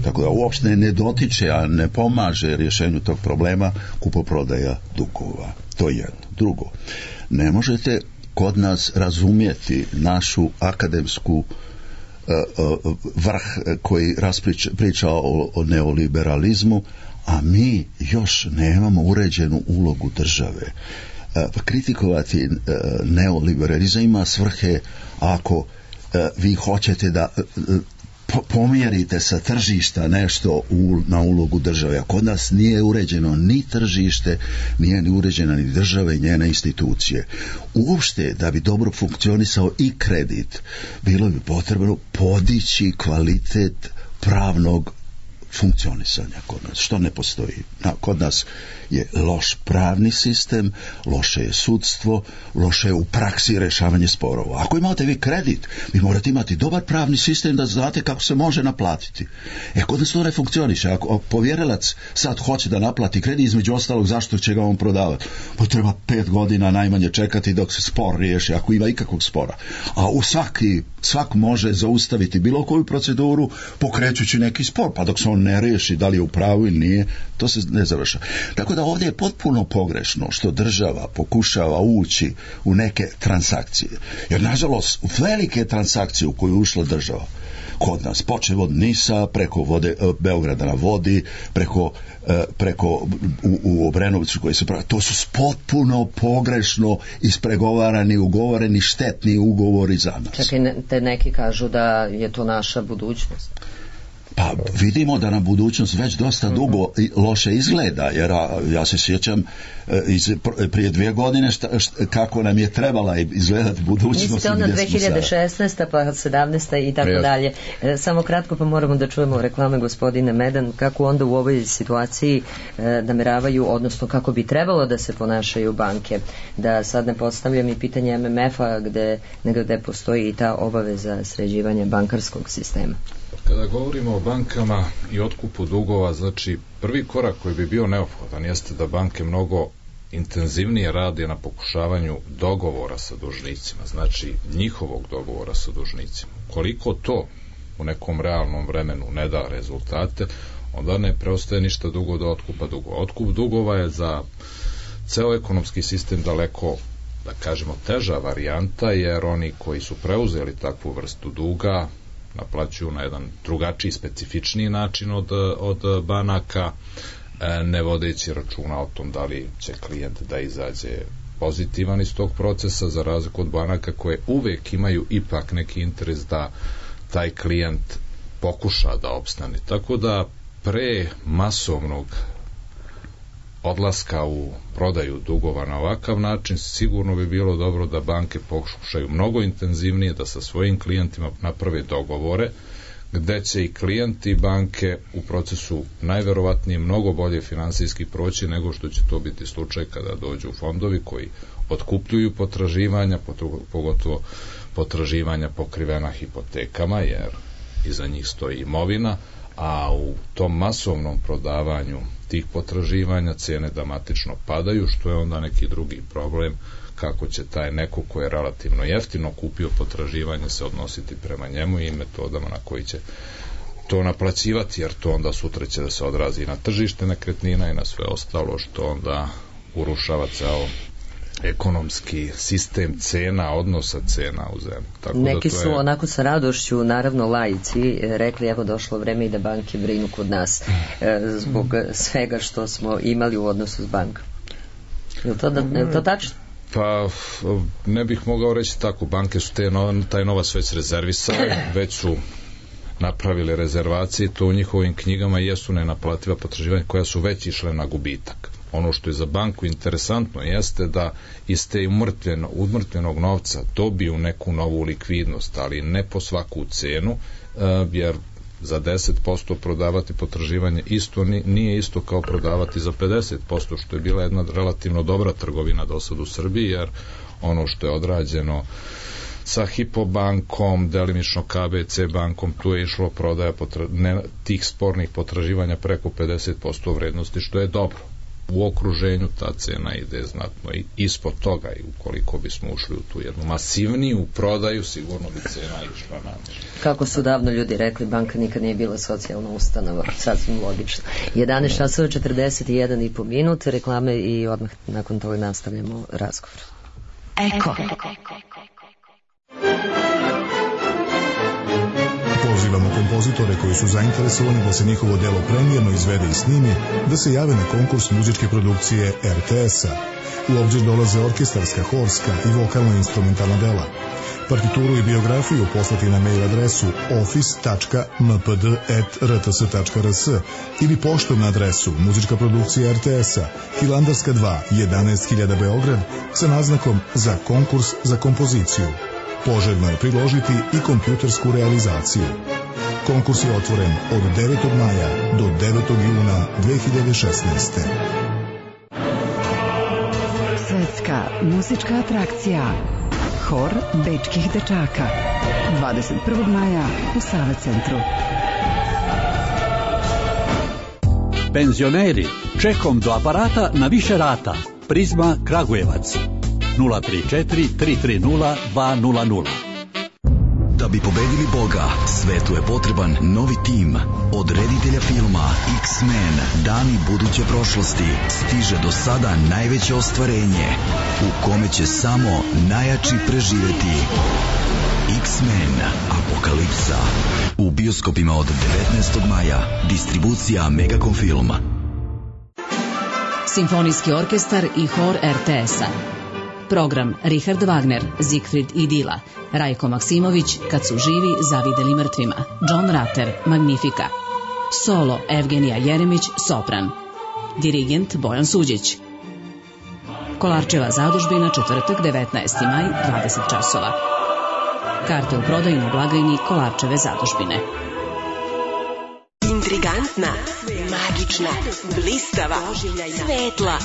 Tako da uopšte ne dotiče, a ne pomaže rješenju tog problema kupoprodaja dugova. To je jedno. Drugo, ne možete kod nas razumjeti našu akademsku vrh koji priča o neoliberalizmu, a mi još nemamo uređenu ulogu države. Kritikovati neoliberalizam ima svrhe ako vi hoćete da pomjerite sa tržišta nešto na ulogu države. A kod nas nije uređeno ni tržište, nije ni uređena ni država i njene institucije. Uopšte, da bi dobro funkcionisao i kredit, bilo bi potrebno podići kvalitet pravnog funkcionisanja kod nas, što ne postoji. Kod nas je loš pravni sistem, loše je sudstvo, loše je u praksi rešavanje sporova. Ako imate vi kredit, vi morate imati dobar pravni sistem da znate kako se može naplatiti. Kod nas to ne funkcioniše. Ako povjerilac sad hoće da naplati kredit, između ostalog, zašto će ga on prodavati? Pa treba 5 godina najmanje čekati dok se spor riješi, ako ima ikakvog spora. A svak može zaustaviti bilo koju proceduru pokrećući neki spor, pa dok se on ne riješi da li je u pravu ili nije, to se ne završa. Tako da ovdje je potpuno pogrešno što država pokušava ući u neke transakcije. Jer nažalost velike transakcije u koju je ušla država kod nas, počev od Nisa, preko Beograda na vodi, preko u Obrenoviću koji se pravi, to su potpuno pogrešno ispregovarani, ugovoreni štetni ugovori za nas. Čekaj, neki kažu da je to naša budućnost. Pa vidimo da na budućnost već dosta dugo loše izgleda, jer ja se sjećam prije 2 godine kako nam je trebala izgledati budućnost. Mislite ono 2016. pa 17. i tako dalje. Samo kratko, pa moramo da čujemo reklame gospodine Medan, kako onda u ovoj situaciji nameravaju, odnosno kako bi trebalo da se ponašaju banke. Da sad ne postavljam i pitanje MMF-a gde postoji i ta obaveza sređivanja bankarskog sistema. Kada govorimo o bankama i otkupu dugova, znači prvi korak koji bi bio neophodan jeste da banke mnogo intenzivnije rade na pokušavanju dogovora sa dužnicima, znači njihovog dogovora sa dužnicima. Koliko to u nekom realnom vremenu ne da rezultate, onda ne preostaje ništa drugo do otkupa dugova. Otkup dugova je za ceo ekonomski sistem daleko, da kažemo, teža varijanta, jer oni koji su preuzeli takvu vrstu duga naplaćuju na jedan drugačiji, specifičniji način od banaka, ne vodeći računa o tom da li će klijent da izađe pozitivan iz tog procesa, za razliku od banaka koje uvek imaju ipak neki interes da taj klijent pokuša da opstane. Tako da pre masovnog odlaska u prodaju dugova na ovakav način, sigurno bi bilo dobro da banke pokušaju mnogo intenzivnije da sa svojim klijentima naprave dogovore, gde će i klijenti i banke u procesu najverovatnije mnogo bolje finansijski proći nego što će to biti slučaj kada dođu fondovi koji otkupljuju potraživanja, pogotovo potraživanja pokrivena hipotekama, jer iza njih stoji imovina, a u tom masovnom prodavanju tih potraživanja cene dramatično padaju, što je onda neki drugi problem kako će taj neko ko je relativno jeftino kupio potraživanje se odnositi prema njemu i metodama na koji će to naplaćivati, jer to onda sutra će da se odrazi na tržište nekretnina i na sve ostalo, što onda urušava ceo ekonomski sistem cena, odnosa cena u zemlji. Tako neki da su onako sa radošću, naravno laici, rekli evo došlo vreme i da banke brinu kod nas zbog svega što smo imali u odnosu s bankom. Je li to tačno? Pa ne bih mogao reći tako, banke su taj novac već rezervisali, već su napravili rezervacije, to u njihovim knjigama jesu nenaplativa potraživanja koja su već išle na gubitak. Ono što je za banku interesantno jeste da iz te umrtvenog novca dobiju neku novu likvidnost, ali ne po svaku cenu, jer za 10% prodavati potraživanje nije isto kao prodavati za 50%, što je bila jedna relativno dobra trgovina do sad u Srbiji, jer ono što je odrađeno sa Hypo bankom, delimično KBC bankom, tu je išlo prodaja tih spornih potraživanja preko 50% vrednosti, što je dobro. U okruženju ta cena ide znatno i ispod toga, i ukoliko bismo ušli u tu jednu masivniju prodaju, sigurno bi cena išla na. Kako su davno ljudi rekli, banka nikad nije bila socijalna ustanova, sasvim logično. 11 časova 41,5 minut, reklame i odmah nakon toga nastavljamo razgovor. Eko. Pozivamo kompozitore koji su zainteresovani da se njihovo delo premijerno izvede i snimi, da se jave na konkurs muzičke produkcije RTS-a. U obzir dolaze orkestarska, horska i vokalno-instrumentalna dela. Partituru i biografiju poslati na mail adresu office.mpd@rts.rs ili poštom na adresu muzička produkcija RTS-a, Hilandarska 2, 11.000 Beograd, sa naznakom za konkurs za kompoziciju. Poželjno je priložiti i kompjutersku realizaciju. Konkurs je otvoren od 9. maja do 9. juna 2016. Svetska muzička atrakcija Hor bečkih dečaka 21. maja u Sava centru. Penzioneri, čekom do aparata na više rata. Prizma Kragujevac 034 330 200. Da bi pobedili Boga, svetu je potreban novi tim. Od reditelja filma X-Men, Dani buduće prošlosti, stiže do sada najveće ostvarenje, u kome će samo najjači preživeti. X-Men Apokalipsa. U bioskopima od 19. maja. Distribucija Megacom Film. Simfonijski orkestar i hor RTS-a. Program Richard Wagner, Siegfried i Dila, Rajko Maksimović, Kad su živi zavideli mrtvima, John Rutter, Magnifica. Solo Evgenija Jeremić, sopran. Dirigent Bojan Suđić. Kolarčeva zadužbina, četvrtak, 19. maj, 20 časova. Karte u prodaju na blagajni Kolarčeve zadužbine. Intrigantna, magična, blistava, svetla,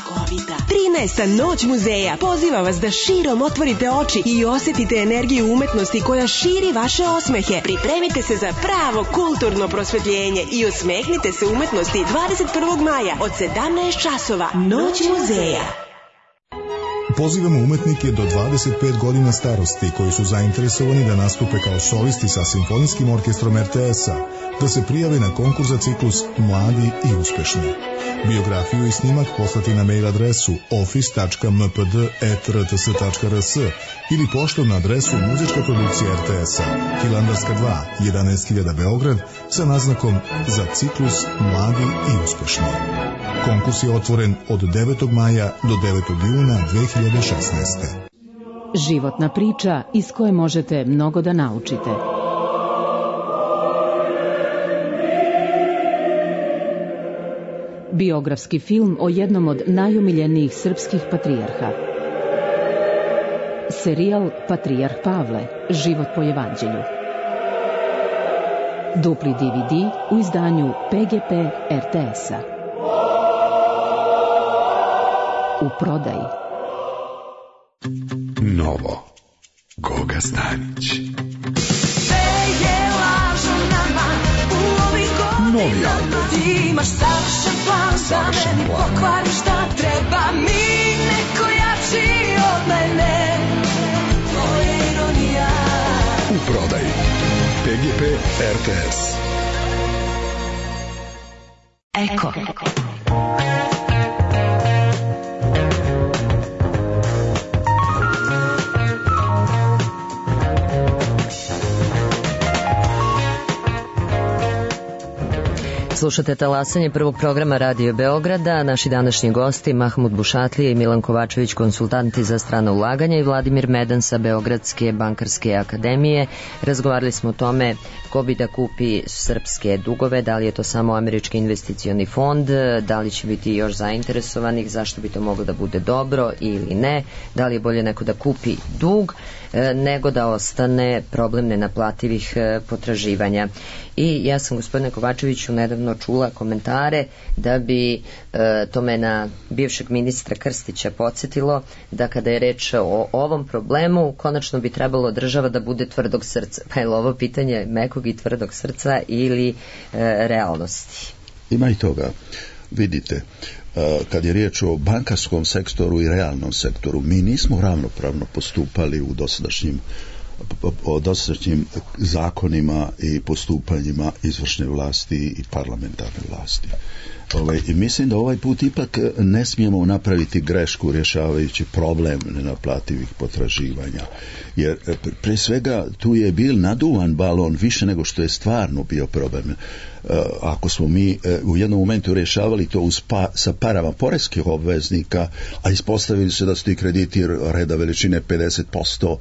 13. noć muzeja poziva vas da širom otvorite oči i osjetite energiju umetnosti koja širi vaše osmehe. Pripremite se za pravo kulturno prosvetljenje i osmehnite se umetnosti 21. maja od 17 časova. Noć muzeja. Pozivamo umetnike do 25 godina starosti koji su zainteresovani da nastupe kao solisti sa Simfonijskim orkestrom RTS-a, da se prijave na konkurs za ciklus Mladi i uspešni. Biografiju i snimak poslati na mail adresu office.mpd@rts.rs ili poštom na adresu muzička produkcija RTS-a, Hilandarska 2, 11.000 Beograd, sa naznakom za ciklus Mladi i uspešni. Konkurs je otvoren od 9. maja do 9. juna 2016. Životna priča iz koje možete mnogo da naučite. Biografski film o jednom od najomiljenijih srpskih patrijarha. Serijal Patrijarh Pavle, život po evanđelju. Dupli DVD u izdanju PGP RTS-a. U prodaji. Novo. Goga Stanić. Novija. Ti imaš savršen plan da meni pokvari šta treba mi neko jači od mene. To je ironija. U prodaji PGP RTS. Eko. Slušate talasanje prvog programa Radio Beograda. Naši današnji gosti Mahmud Bušatlija i Milan Kovačević, konsultanti za strana ulaganja, i Vladimir Medan sa Beogradske bankarske akademije. Razgovarali smo o tome ko bi da kupi srpske dugove, da li je to samo američki investicioni fond, da li će biti još zainteresovanih, zašto bi to moglo da bude dobro ili ne, da li je bolje neko da kupi dug nego da ostane problem nenaplativih potraživanja. I ja sam, gospodine Kovačeviću, nedavno čula komentare da bi to me na bivšeg ministra Krstića podsjetilo da kada je reč o ovom problemu, konačno bi trebalo država da bude tvrdog srca. Pa je li ovo pitanje mekog i tvrdog srca ili realnosti? Ima i toga. Vidite, kad je riječ o bankarskom sektoru i realnom sektoru, mi nismo ravnopravno postupali u dosadašnjim zakonima i postupanjima izvršne vlasti i parlamentarne vlasti. I mislim da ovaj put ipak ne smijemo napraviti grešku rješavajući problem nenaplativih potraživanja. Jer pre svega tu je bil naduvan balon više nego što je stvarno bio problem. Ako smo mi u jednom momentu rješavali to sa parama poreskih obveznika, a ispostavili se da su ti krediti reda veličine 50%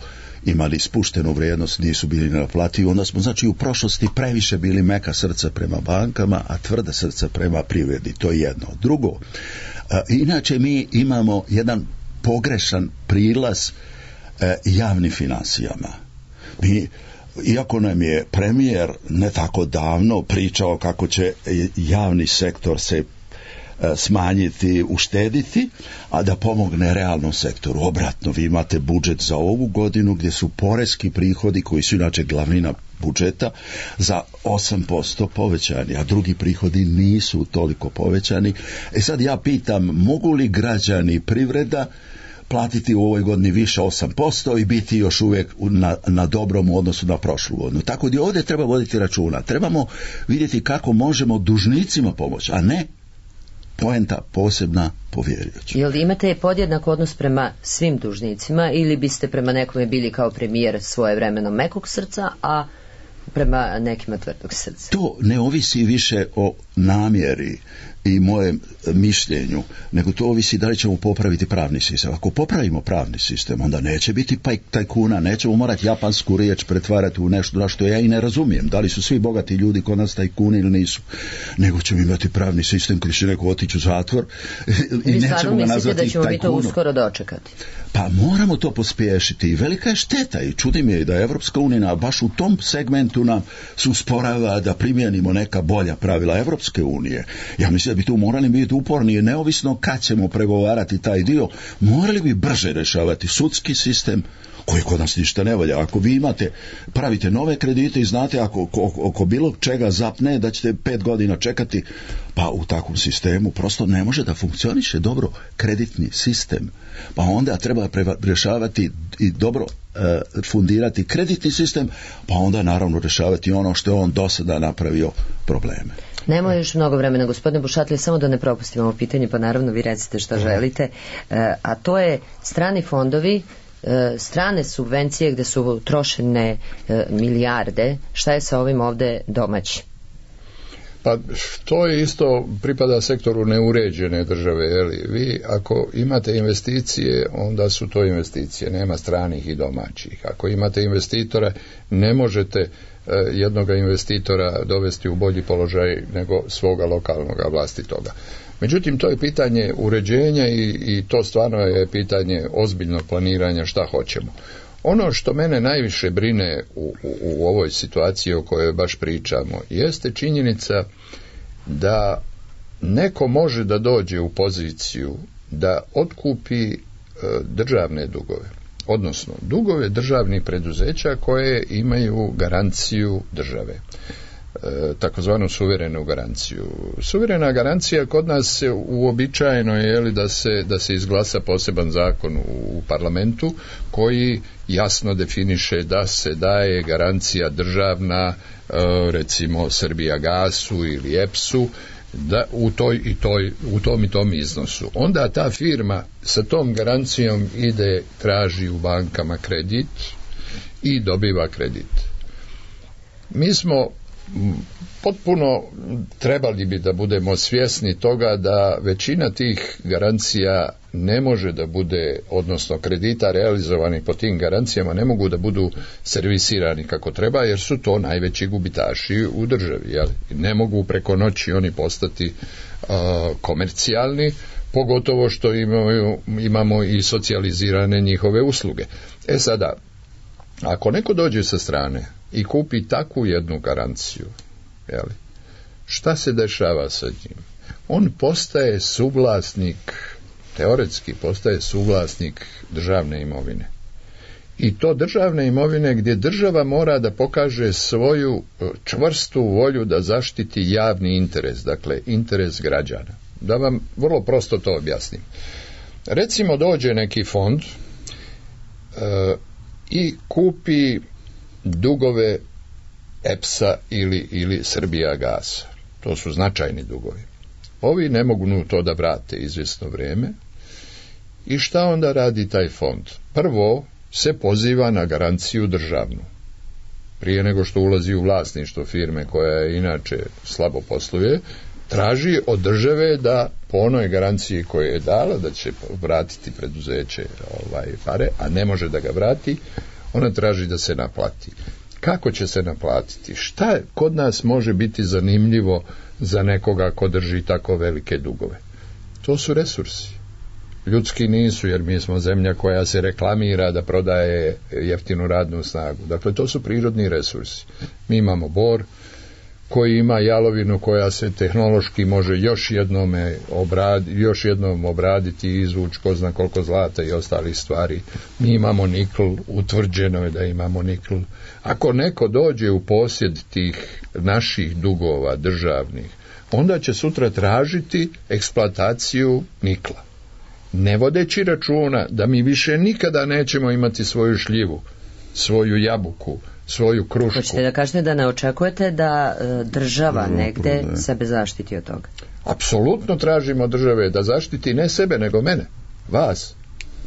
imali spuštenu vrijednost, nisu bili nenaplativi, onda smo znači u prošlosti previše bili meka srca prema bankama, a tvrda srca prema privredi. To je jedno. Drugo, inače mi imamo jedan pogrešan prilaz javnim financijama. Iako nam je premijer ne tako davno pričao kako će javni sektor se smanjiti, uštediti, a da pomogne realnom sektoru. Obratno, vi imate budžet za ovu godinu gdje su poreski prihodi, koji su inače glavnina budžeta, za 8% povećani, a drugi prihodi nisu toliko povećani. Sad ja pitam, mogu li građani i privreda platiti u ovoj godini više 8% i biti još uvijek na dobrom odnosu na prošlu godinu? Tako da ovdje treba voditi računa. Trebamo vidjeti kako možemo dužnicima pomoći, a ne poenta posebna povjerioća. Jel imate podjednak odnos prema svim dužnicima ili biste prema nekome bili kao premijer svojevremeno mekog srca, a prema nekima tvrdog srca? To ne ovisi više o namjeri i mojem mišljenju, nego to ovisi da li ćemo popraviti pravni sistem. Ako popravimo pravni sistem, onda neće biti tajkuna, nećemo morati japansku riječ pretvarati u nešto što ja i ne razumijem. Da li su svi bogati ljudi kod nas tajkuni ili nisu. Nego ćemo imati pravni sistem koji će neko otići u zatvor i nećemo ga nazvati tajkunom. Vi stvarno mislite da ćemo mi to uskoro dočekati? Pa moramo to pospješiti i velika je šteta i čudi mi je da Evropska unija baš u tom segmentu nam se usporava da primijenimo neka bolja pravila Evropske unije. Ja mislim da bi tu morali biti uporni, neovisno kad ćemo pregovarati taj dio, morali bi brže rješavati sudski sistem koji kod nas ništa ne valja. Ako vi pravite nove kredite i znate ako bilo čega zapne da ćete 5 godina čekati, pa u takvom sistemu prosto ne može da funkcioniše dobro kreditni sistem. Pa onda treba rješavati i dobro fundirati kreditni sistem, pa onda naravno rješavati ono što je on do sada napravio probleme. Nema još mnogo vremena, gospodine Bušatlija, samo da ne propustimo ovo pitanje, pa naravno vi recite šta želite, a to je strani fondovi, strane subvencije gde su trošene milijarde, šta je sa ovim ovde domaći? Pa to je isto, pripada sektoru neuređene države, jeli? Vi ako imate investicije, onda su to investicije, nema stranih i domaćih. Ako imate investitora, ne možete jednoga investitora dovesti u bolji položaj nego svoga lokalnog vlastitoga. Međutim, to je pitanje uređenja i to stvarno je pitanje ozbiljnog planiranja šta hoćemo. Ono što mene najviše brine u ovoj situaciji o kojoj baš pričamo jeste činjenica da neko može da dođe u poziciju da otkupi državne dugove, odnosno dugove državnih preduzeća koje imaju garanciju države. takozvanu suverenu garanciju. Suverena garancija kod nas je uobičajeno je da se izglasa poseban zakon u parlamentu koji jasno definiše da se daje garancija državna, recimo Srbijagasu ili EPS-u, da u tom i tom iznosu. Onda ta firma sa tom garancijom ide, traži u bankama kredit i dobiva kredit. Mi smo potpuno trebali bi da budemo svjesni toga da većina tih garancija ne može da bude, odnosno kredita realizovani po tim garancijama ne mogu da budu servisirani kako treba, jer su to najveći gubitaši u državi. Jel? Ne mogu preko noći oni postati komercijalni, pogotovo što imamo i socijalizirane njihove usluge. Sada, ako neko dođe sa strane i kupi takvu jednu garanciju, jeli, šta se dešava sa njim? On postaje suvlasnik, teoretski postaje suvlasnik državne imovine. I to državne imovine gdje država mora da pokaže svoju čvrstu volju da zaštiti javni interes, dakle interes građana. Da vam vrlo prosto to objasnim. Recimo dođe neki fond i kupi dugove EPS-a ili Srbijagasa. To su značajni dugovi. Ovi ne mogu to da vrate izvjesno vrijeme. I šta onda radi taj fond? Prvo se poziva na garanciju državnu. Prije nego što ulazi u vlasništvo firme koja je inače slabo posluje, traži od države da po onoj garanciji koju je dala da će vratiti preduzeće pare, a ne može da ga vrati, ona traži da se naplati. Kako će se naplatiti? Šta kod nas može biti zanimljivo za nekoga ko drži tako velike dugove? To su resursi. Ljudski nisu, jer mi smo zemlja koja se reklamira da prodaje jeftinu radnu snagu. Dakle, to su prirodni resursi. Mi imamo bor koji ima jalovinu koja se tehnološki može još jednom obraditi i izvući ko zna koliko zlata i ostalih stvari. Mi imamo nikl, utvrđeno je da imamo nikl. Ako neko dođe u posjed tih naših dugova državnih, onda će sutra tražiti eksploataciju nikla. Ne vodeći računa da mi više nikada nećemo imati svoju šljivu, svoju jabuku, svoju krušku. Hoćete da kažete da ne očekujete da država negde sebe zaštiti od toga? Apsolutno tražimo države da zaštiti ne sebe, nego mene, vas.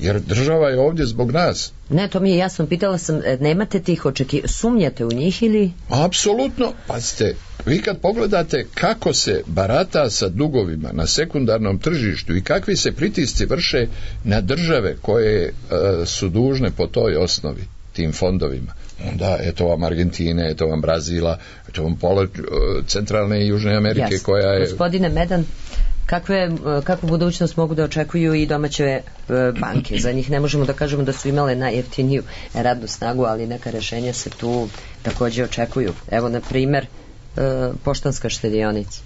Jer država je ovdje zbog nas. Ne, to mi je jasno, pitala sam, nemate tih sumnjate u njih ili? Apsolutno, pazite, vi kad pogledate kako se barata sa dugovima na sekundarnom tržištu i kakvi se pritisci vrše na države koje su dužne po toj osnovi, tim fondovima, onda eto vam Argentine, eto vam Brazila, eto vam pola centralne i južne Amerike koja je... Gospodine Medan, kakvu budućnost mogu da očekuju i domaće banke? Za njih ne možemo da kažemo da su imale najjeftiniju radnu snagu, ali neka rešenja se tu također očekuju. Evo, na primjer, Poštanska štedionica.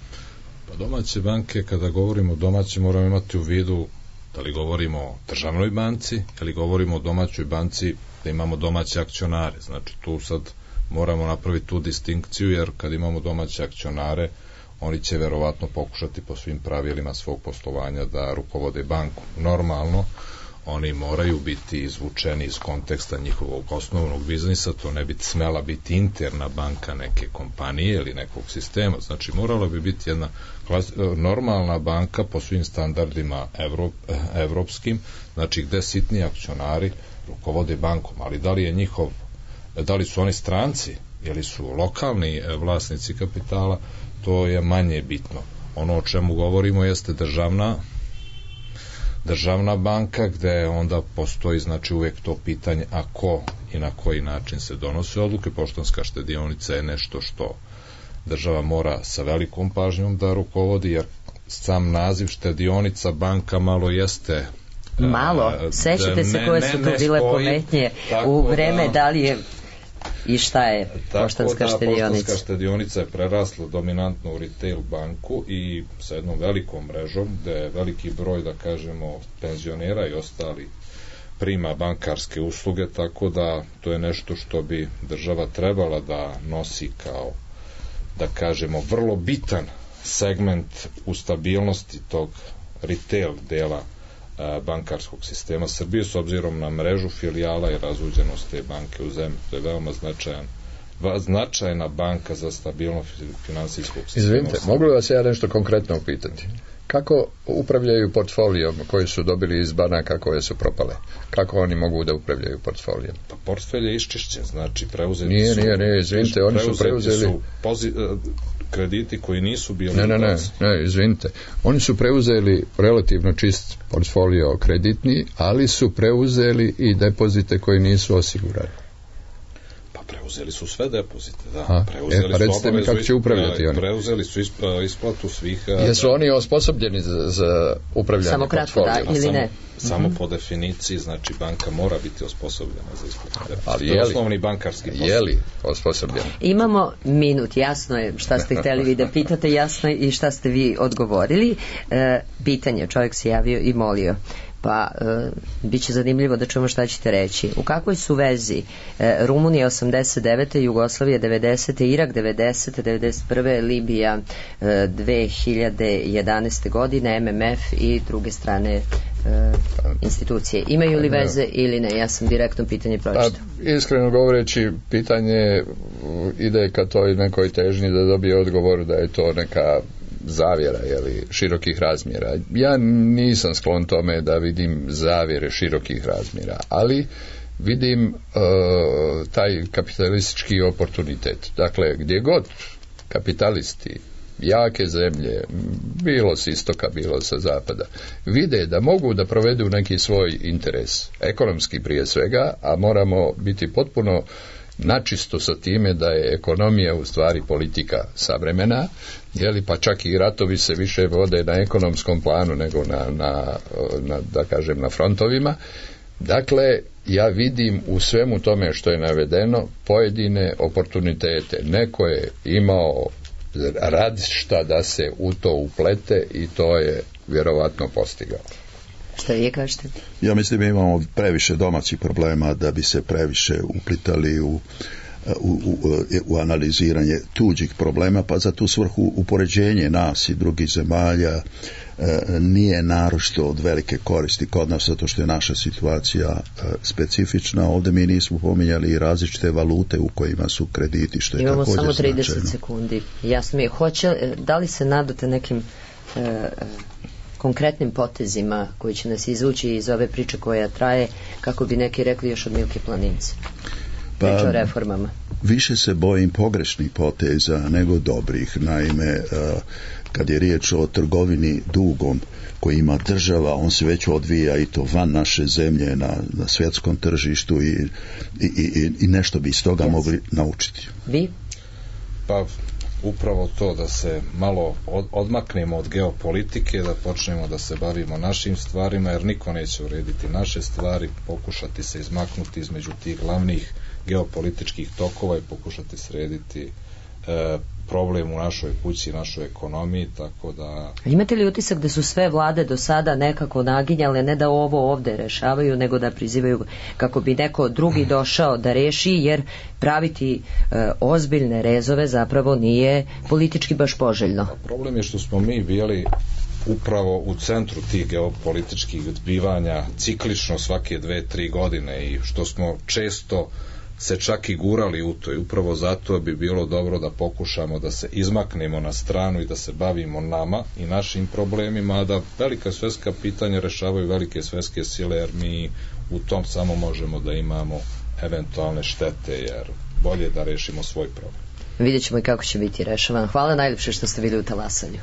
Pa domaće banke, kada govorimo o domaći, moramo imati u vidu da li govorimo o državnoj banci ili govorimo o domaćoj banci da imamo domaće akcionare. Znači tu sad moramo napraviti tu distinkciju, jer kad imamo domaće akcionare, oni će verovatno pokušati po svim pravilima svog poslovanja da rukovode banku. Normalno, oni moraju biti izvučeni iz konteksta njihovog osnovnog biznisa, to ne bi smela biti interna banka neke kompanije ili nekog sistema, znači morala bi biti jedna normalna banka po svim standardima evropskim, znači gde sitni akcionari rukovode bankom, ali da li su oni stranci ili su lokalni vlasnici kapitala, to je manje bitno. Ono o čemu govorimo jeste državna banka, gde onda postoji znači uvijek to pitanje a ko i na koji način se donose odluke. Poštanska štedionica je nešto što država mora sa velikom pažnjom da rukovodi, jer sam naziv štedionica banka malo jeste sećate se koje su tu bile pometnje u vreme da li je i šta je Poštanska štedionica? Poštanska štedionica je prerasla dominantno u retail banku i sa jednom velikom mrežom gde je veliki broj, da kažemo, penzionera i ostali prima bankarske usluge, tako da to je nešto što bi država trebala da nosi da kažemo, vrlo bitan segment u stabilnosti tog retail dela bankarskog sistema Srbije, s obzirom na mrežu filijala i razvuđenost te banke u zemlji. To je veoma značajna banka za stabilnost finansijskog sistema. Izvinite, mogu li vas ja nešto konkretno upitati? Kako upravljaju portfolijom koji su dobili iz banaka koje su propale? Kako oni mogu da upravljaju portfolijom? Pa portfelj je iščišćen, znači preuzeti Nije, izvinite, oni su preuzeli krediti koji nisu bili... Ne, izvinite. Oni su preuzeli relativno čist portfolio kreditni, ali su preuzeli i depozite koji nisu osigurani. Preuzeli su sve depozite, da. Recite mi kako će upravljati oni. Preuzeli su isplatu svih... Jesu oni osposobljeni za upravljanje samo kratko, portfolio? Da, ili ne? Samo po definiciji, znači banka mora biti osposobljena za isplatu depozita. Ali to je osnovni bankarski posao. Je li osposobljena? Imamo minut, jasno je šta ste hteli vi da pitate, jasno je i šta ste vi odgovorili. Pitanje, čovjek se javio i molio. Pa bit će zanimljivo da čujemo šta ćete reći. U kakvoj su vezi Rumunija 89. Jugoslavija 90. Irak 90. 91. Libija 2011. godine, MMF i druge strane institucije. Imaju li veze ili ne? Ja sam direktno pitanje pročitao. Iskreno govoreći, pitanje ide ka toj nekoj težnji da dobije odgovor da je to neka zavjera, širokih razmjera. Ja nisam sklon tome da vidim zavjere širokih razmjera, ali vidim taj kapitalistički oportunitet. Dakle, gdje god kapitalisti, jake zemlje, bilo s istoka, bilo sa zapada, vide da mogu da provedu neki svoj interes, ekonomski prije svega, a moramo biti potpuno načisto sa time da je ekonomija u stvari politika savremena, pa čak i ratovi se više vode na ekonomskom planu nego da kažem na frontovima. Dakle, ja vidim u svemu tome što je navedeno pojedine oportunitete. Neko je imao radišta da se u to uplete i to je vjerovatno postigao. Šta vi kažete? Ja mislim da imamo previše domaćih problema da bi se previše uplitali u analiziranje tuđih problema, pa za tu svrhu upoređenje nas i drugih zemalja nije naročito od velike koristi kod nas, zato što je naša situacija specifična. Ovdje mi nismo pominjali i različite valute u kojima su krediti, što je imamo također samo 30 značajno. Sekundi. Jasno mi je. Da li se nadate nekim konkretnim potezima koji će nas izvući iz ove priče koja traje, kako bi neki rekli, još od Milke Planince? Priča o reformama. Više se bojim pogrešnih poteza nego dobrih. Naime, kad je riječ o trgovini dugom koji ima država, on se već odvija i to van naše zemlje na svjetskom tržištu i nešto bi iz toga mogli naučiti. Vi? Pa upravo to, da se malo odmaknemo od geopolitike, da počnemo da se bavimo našim stvarima, jer niko neće urediti naše stvari, pokušati se izmaknuti između tih glavnih geopolitičkih tokova i pokušati srediti problem u našoj kući, našoj ekonomiji, tako da... Imate li utisak da su sve vlade do sada nekako naginjale, ne da ovo ovde rešavaju, nego da prizivaju kako bi neko drugi došao da reši, jer praviti ozbiljne rezove zapravo nije politički baš poželjno? Problem je što smo mi bili upravo u centru tih geopolitičkih zbivanja ciklično svake 2-3 godine i što smo često se čak i gurali u to, i upravo zato bi bilo dobro da pokušamo da se izmaknemo na stranu i da se bavimo nama i našim problemima, a da velika svjetska pitanja rešavaju velike svjetske sile, jer mi u tom samo možemo da imamo eventualne štete, jer bolje da rešimo svoj problem. Vidjet ćemo i kako će biti rešavan. Hvala najljepše što ste bili u Talasanju.